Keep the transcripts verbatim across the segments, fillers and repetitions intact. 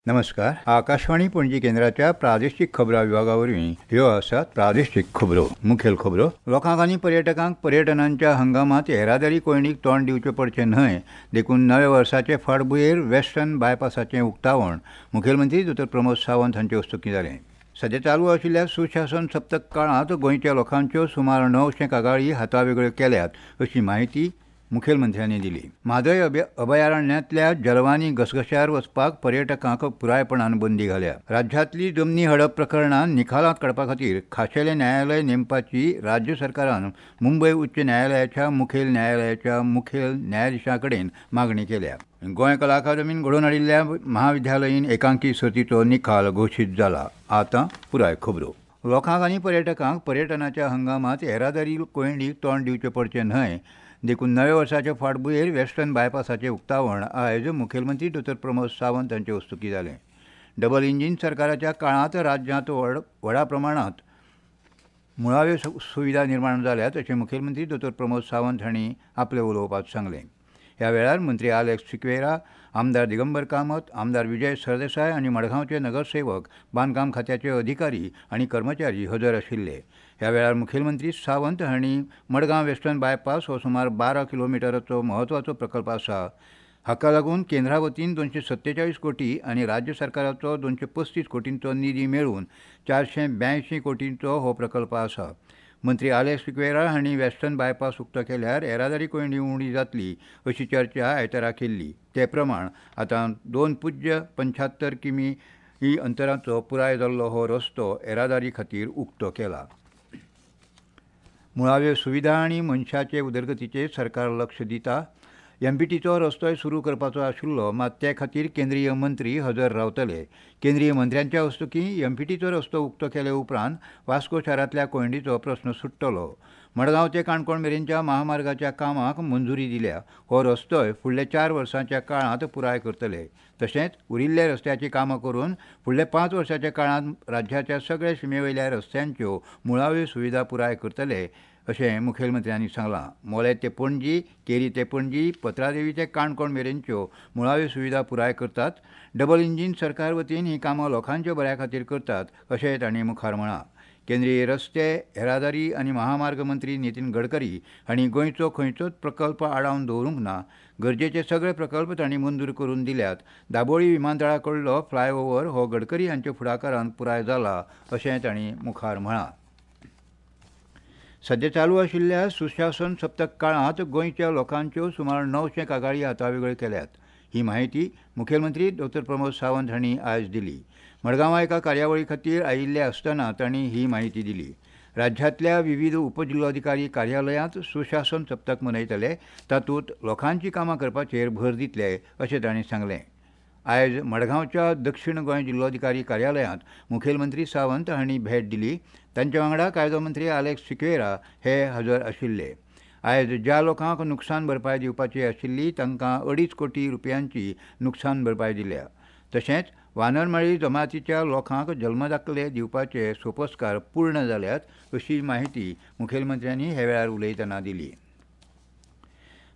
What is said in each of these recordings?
नमस्कार. आकाशवाणी पणजी केंद्राच्या प्रादेशीक खबरां विभागा वरवीं ह्यो आसात प्रादेशीक खबरो. मुखेल खबरो. लोकांक आनी पर्यटकांक पर्यटनांच्या हंगामांत येरादारी कोंयडीक तोंड दिवचें पडचें न्हय देखून नव्या वर्साचे फाटभुंयेर वेस्टर्न बायपासाचें उक्तावण मुखेलमंत्री दोतोर प्रमोद सावंत हांचे हस्तुकीं जालें. सद्या चालू आशिल्ल्या सुशासन सप्तक काळांत गोंयच्या लोकांच्यो सुमार णवशें कागाळी हातावेगळ्यो केल्यात अशी म्हायती मुखेलमंत्र्यांनी दिली. म्हादय अभयारण्यांतल्या जलवानी घसघश्यार वचपाक पर्यटकांक पुरायपणान बंदी घाल्या. राज्यांतली जमनी हडप प्रकरणां निकालांत काडपा खातीर खाशेलें न्यायालय नेमपाची राज्य सरकारान मुंबय उच्च न्यायालयाच्या मुखेल न्यायालयाच्या मुखेल न्यायाधिशा कडेन मागणी केल्या. गोंय कला अकादमीन घडोवन हाडिल्ल्या महाविद्यालयीन एकांकी सर्तीचो निकाल घोशीत जाला. आतां पुराय खबरो. लोकांक आनी पर्यटकांक पर्यटनाच्या हंगामांत येरादारी कोंयडीक तोंड दिवचें पडचें न्हय देखून नव्या वर्साचे फाटभुंयेर वेस्टर्न बायपासाचें उक्तावण आयज मुखेलमंत्री दोतोर प्रमोद सावंत हांचे हस्तुकीं जालें. डबल इंजीन सरकाराच्या काळांत राज्यांत व्हड व्हडा प्रमाणांत मुळाव्यो सुविधा निर्माण जाल्यात अशें मुखेलमंत्री दोतोर प्रमोद सावंत हांणी आपल्या उलोवपांत सांगलें. ह्या वेळार मंत्री आलेक्स सिक्वेरा, आमदार दिगंबर कामत, आमदार विजय सरदेसाय आनी मडगांवचे नगरसेवक, बांदकाम खात्याचे अधिकारी आनी कर्मचारी हजर आशिल्ले. ह्या वेळार मुखेलमंत्री सावंत हांणी मडगांव वेस्टर्न बायपास हो सुमार बारा किलोमिटराचो म्हत्वाचो प्रकल्प आसा. हाका लागून केंद्रा वतीन दोनशे सत्तेचाळीस कोटी आनी राज्य सरकाराचो दोनशे पस्तीस कोटींचो निधी मेळून चारशे ब्यायशीं कोटींचो हो प्रकल्प आसा. मंत्री आलेक्स सिक्वेरा हांणी वेस्टर्न बायपास उक्तो केल्यार येरादारी कोंयडी उणी जातली अशी चर्चा आयतारा केल्ली. ते प्रमाण आतां दोन पुज्य पंच्यात्तर किमी ही अंतराचो पुराय जाल्लो हो रस्तो येरादारी खातीर उक्तो केला. मुळाव्यो सुविधा आनी मनशाचे उदरगतीचेर सरकार लक्ष दिता. एमपीटीचो रस्तोय सुरू करपाचो आशिल्लो, मात ते खातीर केंद्रीय मंत्री हजर रावतले. केंद्रीय मंत्र्यांच्या हस्तुकीं एमपीटीचो रस्तो उक्तो केले उपरांत वास्को शारांतल्या कोंयडीचो प्रस्न सुट्टलो. मडगांव ते काणकोण मेरेनच्या महामार्गाच्या कामाक मंजुरी दिल्या. हो रस्तोय फुडल्या चार वर्सांच्या काळांत पुराय करतले. तशेंच उरिल्ल्या रस्त्याचीं कामां करून फुडल्या पांच वर्सांच्या काळांत राज्याच्या सगळ्या शिमेवयल्या रस्त्यांच्यो मुळाव्यो सुविधा पुराय करतले अशें मुखेलमंत्र्यांनी सांगलां. मोलें ते पणजी, केरी ते पणजी, पत्रादेवी ते काणकोण मेरेनच्यो मुळाव्यो सुविधा पुराय करतात. डबल इंजीन सरकार वतीन हीं कामां लोकांच्या बऱ्या खातीर करतात अशें तांणी मुखार म्हळां. केंद्रीय रस्ते येरादारी आनी महामार्ग मंत्री नितीन गडकरी हांणी गोंयचो खंयचोच प्रकल्प आडावन दवरूंक ना. गरजेचे सगळे प्रकल्प तांणी मंजूर करून दिल्यात. दाबोळी विमानतळा कडलो फ्लायओव्हर हो गडकरी हांच्या फुडाकारान पुराय जाला अशें तांणी मुखार म्हळां. सद्या चालू आशिल्ल्या सुशासन सप्तक काळांत गोंयच्या लोकांच्यो सुमार णवशें कागाळी हातावेगळ्यो केल्यात. ही म्हायती मुखेलमंत्री दोतोर प्रमोद सावंत हांणी आयज दिली. मडगांवां एका कार्यावळी खातीर आयिल्ले आसतना तांणी ही म्हायती दिली. राज्यांतल्या विविध उपजिल्लोधिकारी कार्यालयांत सुशासन सप्तक मनयतले. तातूंत लोकांची कामां करपाचेर भर दितले अशें तांणी सांगलें. आयज मडगांवच्या दक्षिण गोंय जिल्लोधिकारी कार्यालयांत मुखेलमंत्री सावंत हांणी भेट दिली. तांच्या वांगडा कायदो मंत्री आलेक्स सिक्वेरा हे हजर आशिल्ले. आयज ज्या लोकांक नुकसान भरपाय दिवपाची आशिल्ली तांकां अडीच कोटी रुपयांची नुकसान भरपाय दिल्या. तशेंच वानरमाळी जमातीच्या लोकांक जल्मदाखले दिवपाचे सोपस्कार पूर्ण जाल्यात अशी म्हायती मुखेलमंत्र्यांनी ह्या वेळार उलयतना दिली.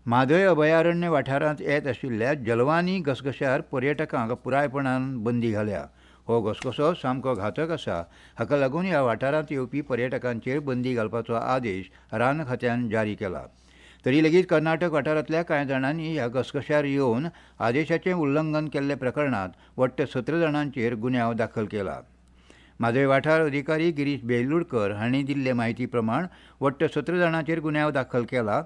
म्हादय अभयारण्य वाठारांत येत आशिल्ल्या जलवानी घसघश्यार पर्यटकांक पुरायपणान बंदी घाल्या. हो घसघसो सामको घातक आसा. हाका लागून ह्या वाठारांत येवपी पर्यटकांचेर बंदी घालपाचो आदेश रान खात्यान जारी केला. तरी लेगीत कर्नाटक वाठारांतल्या कांय जाणांनी ह्या घसघश्यार येवन आदेशाचें उल्लंघन केल्ल्या प्रकरणांत वट्ट सतरा जाणांचेर गुन्यांव दाखल केला. म्हादय वाठार अधिकारी गिरीश बेलुडकर हांणी दिल्ले म्हायती प्रमाण वट्ट सतरा जाणांचेर गुन्यांव दाखल केला.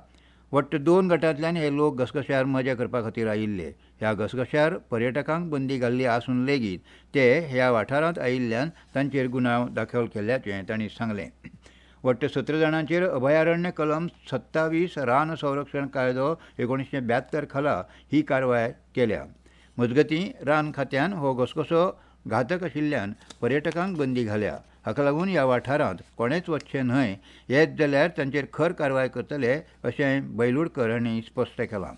वट्ट दोन गटांतल्यान हे लोक घसघश्यार मजा करपा खातीर आयिल्ले. ह्या घसघश्यार पर्यटकांक बंदी घाल्ली आसून लेगीत ते ह्या वाठारांत आयिल्ल्यान तांचेर गुन्यांव दाखल केल्ल्याचें तांणी सांगलें. वट्ट सतरा जाणांचेर अभयारण्य कलम सत्तावीस रान संरक्षण कायदो एकोणिशें ब्यात्तर खाला ही कारवाय केल्या. मजगतीं रान खात्यान हो घसघसो घातक आशिल्ल्यान पर्यटकांक बंदी घाल्या. हाका लागून ह्या वाठारांत कोणेच वचचें न्हय, येत जाल्यार तांचेर खर कारवाय करतले अशें बैलुडकर हांणी स्पश्ट केलां.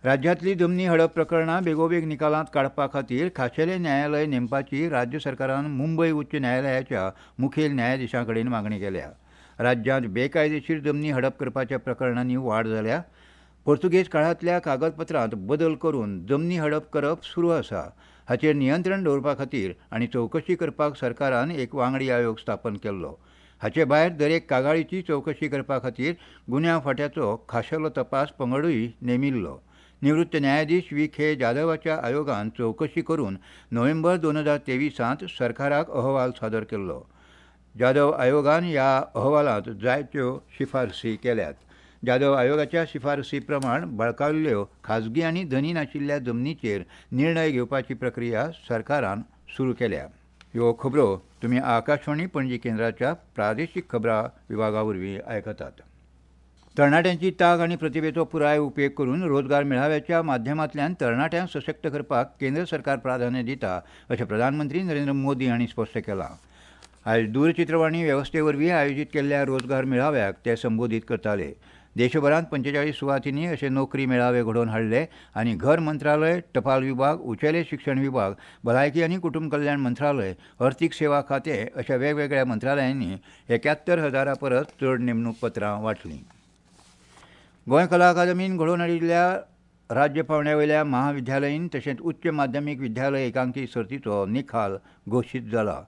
राज्यांतली जमनी हडप प्रकरणां बेगोबेग निकालांत काडपा खातीर खाशेलें न्यायालय नेमपाची राज्य सरकारान मुंबय उच्च न्यायालयाच्या मुखेल न्यायाधिशां कडेन मागणी केल्या. राज्यांत बेकायदेशीर जमनी हडप करपाच्या प्रकरणांनी वाड जाल्या. पोर्तुगेज काळांतल्या कागदपत्रांत बदल करून जमनी हडप करप सुरू आसा. हाचेर नियंत्रण दवरपा खातीर आनी चवकशी करपाक सरकारान एक वांगडी आयोग स्थापन केल्लो. हाचे भायर दरेक कागाळीची चवकशी करपा खातीर गुन्यांव फांट्याचो खाशेलो तपास पंगडूय नेमिल्लो. निवृत्त न्यायाधीश व्ही के जाधवाच्या आयोगान चवकशी करून नोव्हेंबर दोन हजार तेवीसांत सरकाराक अहवाल सादर केल्लो. जाधव आयोगान ह्या अहवालांत जायत्यो शिफारसी केल्यात. जाधव आयोगाच्या शिफारसी प्रमाण बळकावल्ल्यो खाजगी आनी धनी नाशिल्ल्या जमनीचेर निर्णय घेवपाची प्रक्रिया सरकारान सुरू केल्या. ह्यो खबरो तुमी आकाशवाणी पणजी केंद्राच्या प्रादेशीक खबरां विभागा वरवीं आयकतात. तरणाट्यांची तांक आनी प्रतिभेचो पुराय उपेग करून रोजगार मेळाव्याच्या माध्यमांतल्यान तरणाट्यांक सशक्त करपाक केंद्र सरकार प्राधान्य दिता अशें प्रधानमंत्री नरेंद्र मोदी हांणी स्पश्ट केलां. आयज दूरचित्रवाणी वेवस्थे वरवीं आयोजीत केल्ल्या रोजगार मेळाव्याक ते संबोधीत करताले. देशभरांत पंचेचाळीस सुवातींनी अशे नोकरी मेळावे घडोवन हाडले आनी घर मंत्रालय, टपाल विभाग, उंचेले शिक्षण विभाग, भलायकी आनी कुटुंब कल्याण मंत्रालय, अर्थीक सेवा खातें अशा वेगवेगळ्या मंत्रालयांनी एक्यात्तर हजारा परस चड नेमणूक पत्रां वांटलीं. गोंय कला अकादमीन घडोवन हाडिल्ल्या राज्य पांवड्या वयल्या महाविद्यालयीन तशेंच उच्च माध्यमीक विद्यालय एकांकी सर्तीचो निकाल घोशीत जाला.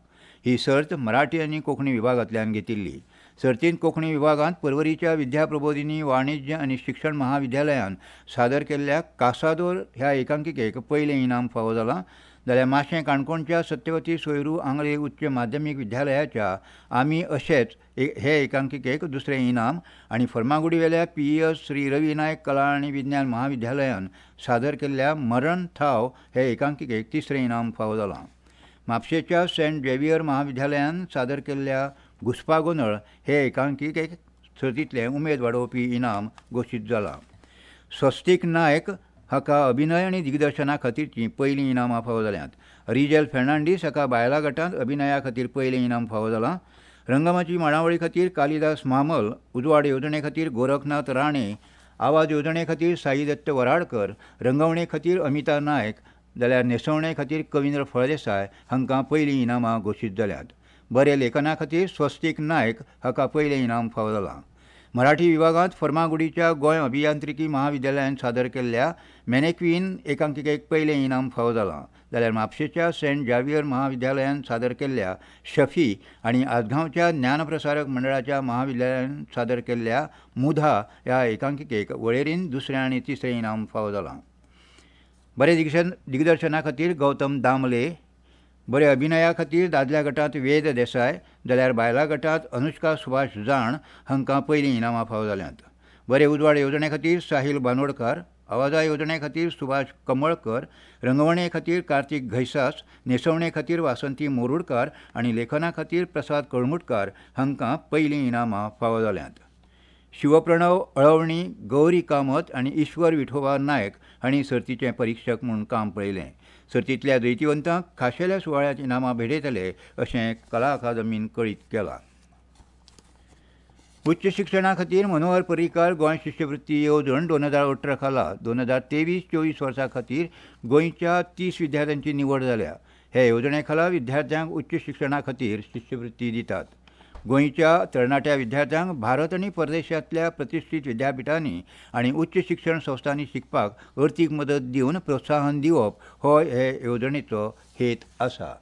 ही सर्त मराठी आनी कोंकणी विभागांतल्यान घेतिल्ली. सर्तींत कोंकणी विभागांत पर्वरीच्या विद्याप्रबोधिनी वाणिज्य आनी शिक्षण महाविद्यालयान सादर केल्ल्या कासादोर ह्या एकांकिकेक पयलें इनाम फावो जालां, जाल्यार माशें काणकोणच्या सत्यवती सोयरू आंगले उच्च माध्यमीक विद्यालयाच्या आमी अशेच हे एकांकिकेक दुसरें इनाम आनी फर्मागुडीवेल्या P E S Shri Ravi Naik कला आनी विज्ञान महाविद्यालयान सादर केल्ल्या मरण थाव हे एकांकिकेक तिसरें इनाम फावो जालां. म्हापशेच्या सेंट झेवियर महाविद्यालयान सादर केल्ल्या घुस्पागोंदळ हे एकांकिकेक सर्तींतलें उमेद वाडोवपी इनाम घोशीत जालां. स्वस्तीक नायक हाका अभिनय आनी दिग्दर्शना खातीरचीं पयलीं इनामां फावो जाल्यांत. रिजेल फेर्नांडीस हाका बायलां गटांत अभिनया खातीर पयलें इनाम फावो जालां. रंगमाची मांडावळी खातीर कालिदास म्हामल, उजवाड येवजणे खातीर गोरखनाथ राणे, आवाज येवजणे खातीर साईदत्त वराडकर, रंगवणे खातीर अमिता नायक, जाल्यार न्हेसवणे खातीर कविंद्र फळदेसाय हांकां पयलीं इनामां घोशीत जाल्यांत. बरे लेखना खातीर स्वस्तीक नायक हाका पयलें इनाम फावो जालां. मराठी विभागांत फर्मागुडीच्या गोंय अभियांत्रिकी महाविद्यालयान सादर केल्ल्या मॅनेक्वीन एकांकिकेक पयलें इनाम फावो जालां, जाल्यार म्हापशेच्या सेंट जावियर महाविद्यालयान सादर केल्ल्या शफी आनी आजगांवच्या ज्ञानप्रसारक मंडळाच्या महाविद्यालयान सादर केल्ल्या मुधा ह्या एकांकिकेक वळेरीन दुसरें आनी तिसरें इनाम फावो जालां. बरे दिग्दर्शना खातीर गौतम दामले, बरे अभिनया खातीर दादल्या गटांत वेद देसाय, जाल्यार बायलां गटांत अनुष्का सुभाष जाण हांकां पयलीं इनामां फावो जाल्यांत. बरे उजवाड येवजणे खातीर साहील बांदोडकार, आवाजा येवजणे खातीर सुभाष कमळकर, रंगवणे खातीर कार्तीक घैसास, न्हेसवणे खातीर वासंती मोरुडकार आनी लेखना खातीर प्रसाद कळंगुटकार हांकां पयलीं इनामां फावो जाल्यांत. शिवप्रणव अळवणी, गौरी कामत आनी ईश्वर विठोबा नायक हांणी सर्तीचे परिक्षक म्हूण काम पळयलें. सर्तींतल्या जैतिवंतांक खाशेल्या सुवाळ्यांत इनामां भेटयतले अशें कला अकादमीन कळीत केलां. उच्च शिक्षणा खातीर मनोहर पर्रीकार गोंय शिश्यवृत्ती येवजण दोन हजार अठरा खाला दोन हजार तेवीस चोवीस वर्सां खातीर गोंयच्या तीस विद्यार्थ्यांची निवड जाल्या. हे येवजणे खाला विद्यार्थ्यांक उच्च शिक्षणा खातीर शिश्यवृत्ती दितात. गोंयच्या तरणाट्या विद्यार्थ्यांक भारत आनी परदेशांतल्या प्रतिश्ठीत विद्यापिठांनी आनी उच्च शिक्षण संस्थांनी शिकपाक अर्थीक मदत दिवन प्रोत्साहन दिवप हो हे येवजणेचो हेत आसा.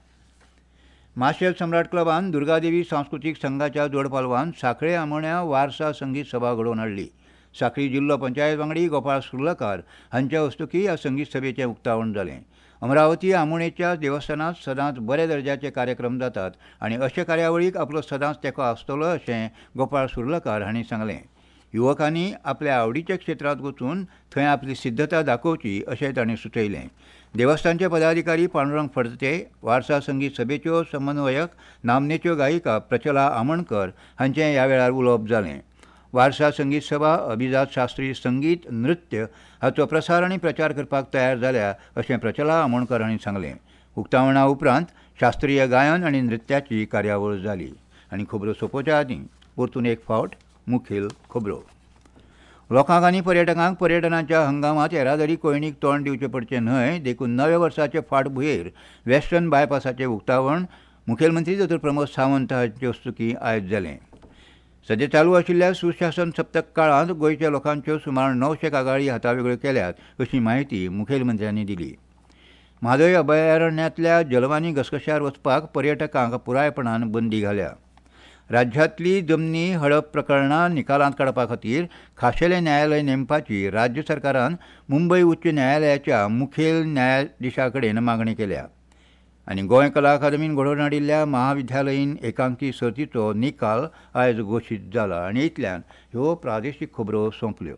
माशेल सम्राट क्लबान दुर्गादेवी सांस्कृतीक संघाच्या जोडपालवान सांखळे आमोण्या वारसा संगीत सभा घडोवन हाडली. सांखळी जिल्लो पंचायत वांगडी गोपाळ सुर्लकार हांच्या हस्तुकीं ह्या संगीत सभेचें उक्तावण जालें. अमरावती आमोणेच्या देवस्थानांत सदांच बऱ्या दर्जाचे कार्यक्रम जातात आनी अशे कार्यावळीक आपलो सदांच तेंको आसतलो अशें गोपाळ सुर्लकार हांणी सांगलें. युवकांनी आपल्या आवडीच्या क्षेत्रांत वचून थंय आपली सिद्धता दाखोवची अशें तांणी सुचयलें. देवस्थानचे पदाधिकारी पांडुरंग फडते, वारसा संगीत सभेच्यो समन्वयक नामनेच्यो गायिका प्रचला आमोणकर हांचें ह्या वेळार उलोवप जालें. वारसा संगीत सभा अभिजात शास्त्रीय संगीत नृत्य हाचो प्रसार आनी प्रचार करपाक तयार जाल्या अशें प्रचला आमोणकर हांणी सांगलें. उक्तावणा उपरांत शास्त्रीय गायन आनी नृत्याची कार्यावळ जाली. आनी खबरो सोंपोवच्या आदीं परतून एक फावट मुखेल खबरो. लोकांक आनी पर्यटकांक पर्यटनाच्या हंगामांत येरादारी कोंयडीक तोंड दिवचें पडचें न्हय देखून नव्या वर्साचे फाटभुंयेर वेस्टर्न बायपासाचें उक्तावण मुखेलमंत्री दोतोर प्रमोद सावंत हांचे हस्तुकीं आयज जालें. सद्या चालू आशिल्ल्या सुशासन सप्तक काळांत गोंयच्या लोकांच्यो सुमार णवशे कागाळी हातावेगळ्यो केल्यात अशी म्हायती मुखेलमंत्र्यांनी दिली. म्हादय अभयारण्यांतल्या जलवानी घसघश्यार वचपाक पर्यटकांक पुरायपणान बंदी घाल्या. राज्यांतली जमनी हडप प्रकरणां निकालांत काडपा खातीर खाशेलें न्यायालय नेमपाची राज्य सरकारान मुंबय उच्च न्यायालयाच्या मुखेल न्यायाधिशा कडेन मागणी केल्या. आनी गोंय कला अकादमीन घडोवन हाडिल्ल्या महाविद्यालयीन एकांकी सर्तीचो निकाल आयज घोशीत जाला. आनी इतल्यान ह्यो प्रादेशीक खबरो सोंपल्यो.